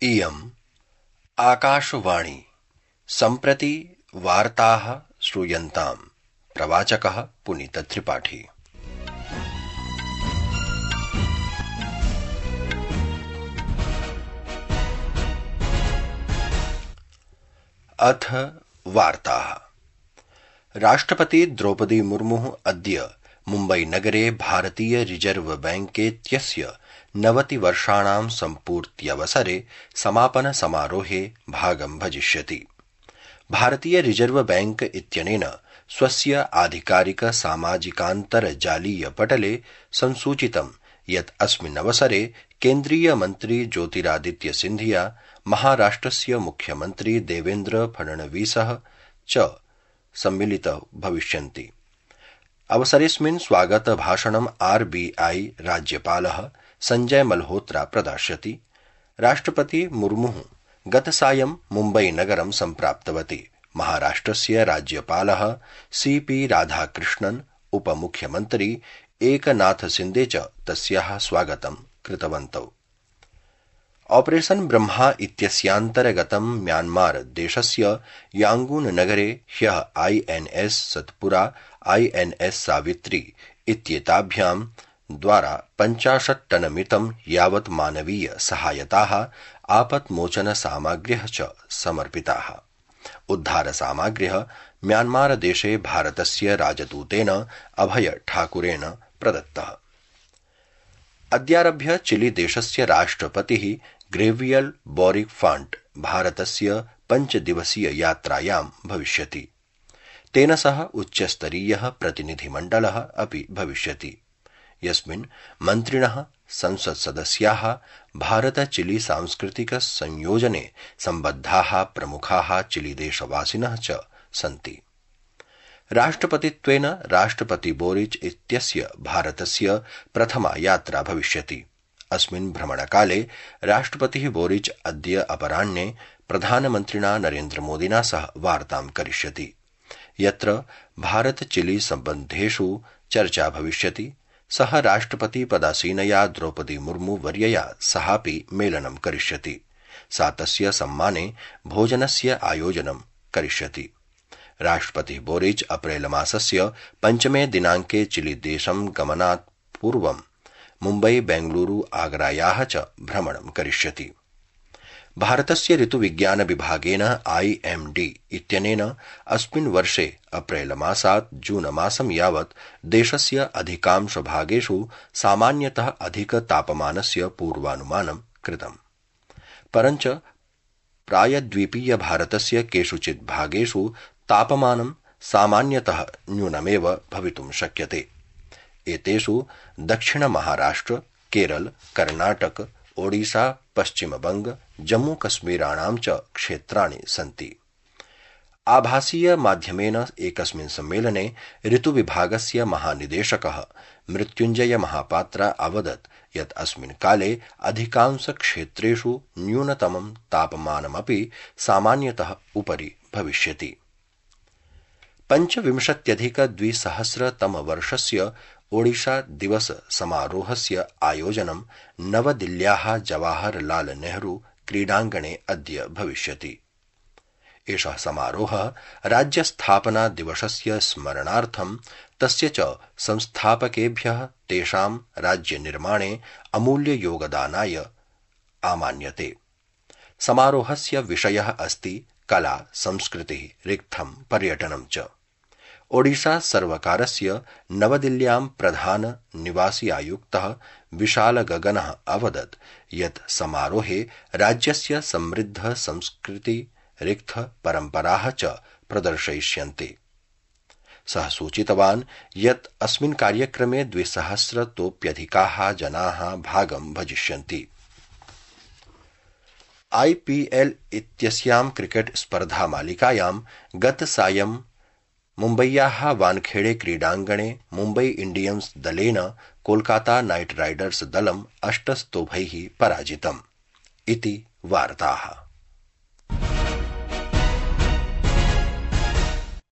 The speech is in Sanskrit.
इयम् आकाशवाणी सम्प्रति वार्ताः श्रूयन्ताम्। प्रवाचकः पुनीतत्रिपाठी। अथ वार्ताः। राष्ट्रपति द्रौपदी मुर्मुः अद्य मुम्बईनगरे भारतीय रिजर्व बैंकेत्यस्य 90 वर्षाणां सम्पूर्त्यवसरे समापन समारोहे भागं भजिष्यति। भारतीय रिजर्व बैंक इत्यनेन स्वस्य आधिकारिक सामाजिकान्तर्जालीय पटले संसूचितं यत् अस्मिन् अवसरे केन्द्रीय मन्त्री ज्योतिरादित्य सिन्धिया, महाराष्ट्रस्य मुख्यमन्त्री देवेन्द्र फडणवीसः च सम्मिलितौ भविष्यन्ति। अवसरेऽस्मिन् स्वागत भाषणं RBI राज्यपालः संजय मल्होत्रा प्रदास्यति। राष्ट्रपति मुर्मुः गतसायं मुम्बईनगरं सम्प्राप्तवती। महाराष्ट्रस्य राज्यपालः CP राधाकृष्णन्, उपमुख्यमन्त्री एकनाथ शिन्दे च तस्याः स्वागतं कृतवन्तौ। ऑपरेशन ब्रह्मा इत्यस्यान्तर्गतं म्यांमार देशस्य यांगून नगरे ह्यः INS सत्पुरा, INS सावित्री इत्येताभ्यां द्वारा 50 टनमितं यावत् मानवीय सहायताः, आपत्मोचन सामग्र्यः च समर्पिताः। उद्धार सामग्र्यः म्यांमार देशे भारतस्य राजदूतेन अभय ठाकुरेण प्रदत्तः। अद्यारभ्य चिली देशस्य राष्ट्रपतिः ग्रेवियल बोरिक फाण्ट भारतस्य 5 दिवसीय यात्रायां भविष्यति। तेन सह उच्चस्तरीयः प्रतिनिधिमण्डलः अपि भविष्यति, यस्मिन् मन्त्रिणः, संसत्सदस्याः, भारत-चिली सांस्कृतिक संयोजने सम्बद्धाः प्रमुखाः चिलीदेशवासिनः च सन्ति। राष्ट्रपतित्वेन राष्ट्रपति बोरिच इत्यस्य भारतस्य प्रथमा यात्रा भविष्यति। अस्मिन् भ्रमणकाले राष्ट्रपतिः बोरिच अद्य अपराह्ने प्रधानमन्त्रिणा नरेन्द्रमोदिना सह वार्तां करिष्यति, यत्र भारत-चिली सम्बन्धेषु चर्चा भविष्यति। सः राष्ट्रपतिपदासीनया द्रौपदी मुर्मु वर्यया सहापि मेलनं करिष्यति। सा तस्य सम्माने भोजनस्य आयोजनं करिष्यति। राष्ट्रपतिः बोरिच अप्रैल मासस्य 5 दिनाङ्के चिली देशं गमनात् पूर्वं मुम्बई, बेंगलुरु, आगरायाः च भ्रमणं करिष्यति। भारतस्य ऋतुविज्ञान विभागेन IMD इत्यनेन अस्मिन् वर्षे अप्रैल मासात् जून मासं यावत् देशस्य अधिकांश भागेषु सामान्यतः अधिक तापमानस्य पूर्वानुमानं कृतम्। परञ्च प्रायद्वीपीय भारतस्य केषुचित् भागेषु तापमानं सामान्यतः न्यूनमेव भवितुं शक्यते। एतेषु दक्षिण महाराष्ट्र, केरल, कर्णाटक, ओडिशा, पश्चिमबंग, जम्मूकश्मीराणां च क्षेत्राणि सन्ति। आभासीय माध्यमेन एकस्मिन् सम्मेलने ऋतुविभागस्य महानिदेशकः मृत्युञ्जय महापात्रा अवदत् यत् अस्मिन् काले अधिकांश क्षेत्रेषु न्यूनतमं तापमानमपि सामान्यतः उपरि भविष्यति। 25,200 ओडिशा दिवस समारोहस्य आयोजनं नवदिल्ल्याः जवाहरलाल नेहरू क्रीडाङ्गणे अद्य भविष्यति। एषः समारोहः राज्यस्थापना दिवसस्य स्मरणार्थं तस्य च संस्थापकेभ्यः तेषां राज्यनिर्माणे अमूल्ययोगदानाय आमान्यते। समारोहस्य विषयः अस्ति कला, संस्कृतिः, रिक्थं, पर्यटनं च। ओडिशा सर्वकारस्य नवदिल्ल्यां प्रधान निवासी आयुक्तः विशाल गगनः अवदत् यत् समारोहे राज्यस्य समृद्ध संस्कृति, रिक्थ परम्पराः च प्रदर्शयिष्यन्ते। सः सूचितवान् यत् अस्मिन् कार्यक्रमे 200तोऽप्यधिकाः जनाः भागं भजिष्यन्ति। IPL इत्यस्यां क्रिकेट स्पर्धामालिकायां गतसायं मुम्बय्याः वानखेड़े क्रीडाङ्गणे मुम्बई इंडियन्स दलेन कोलकाता नाइट राइडर्स दलम् 8 स्तोभैः पराजितम् इति वार्ताः।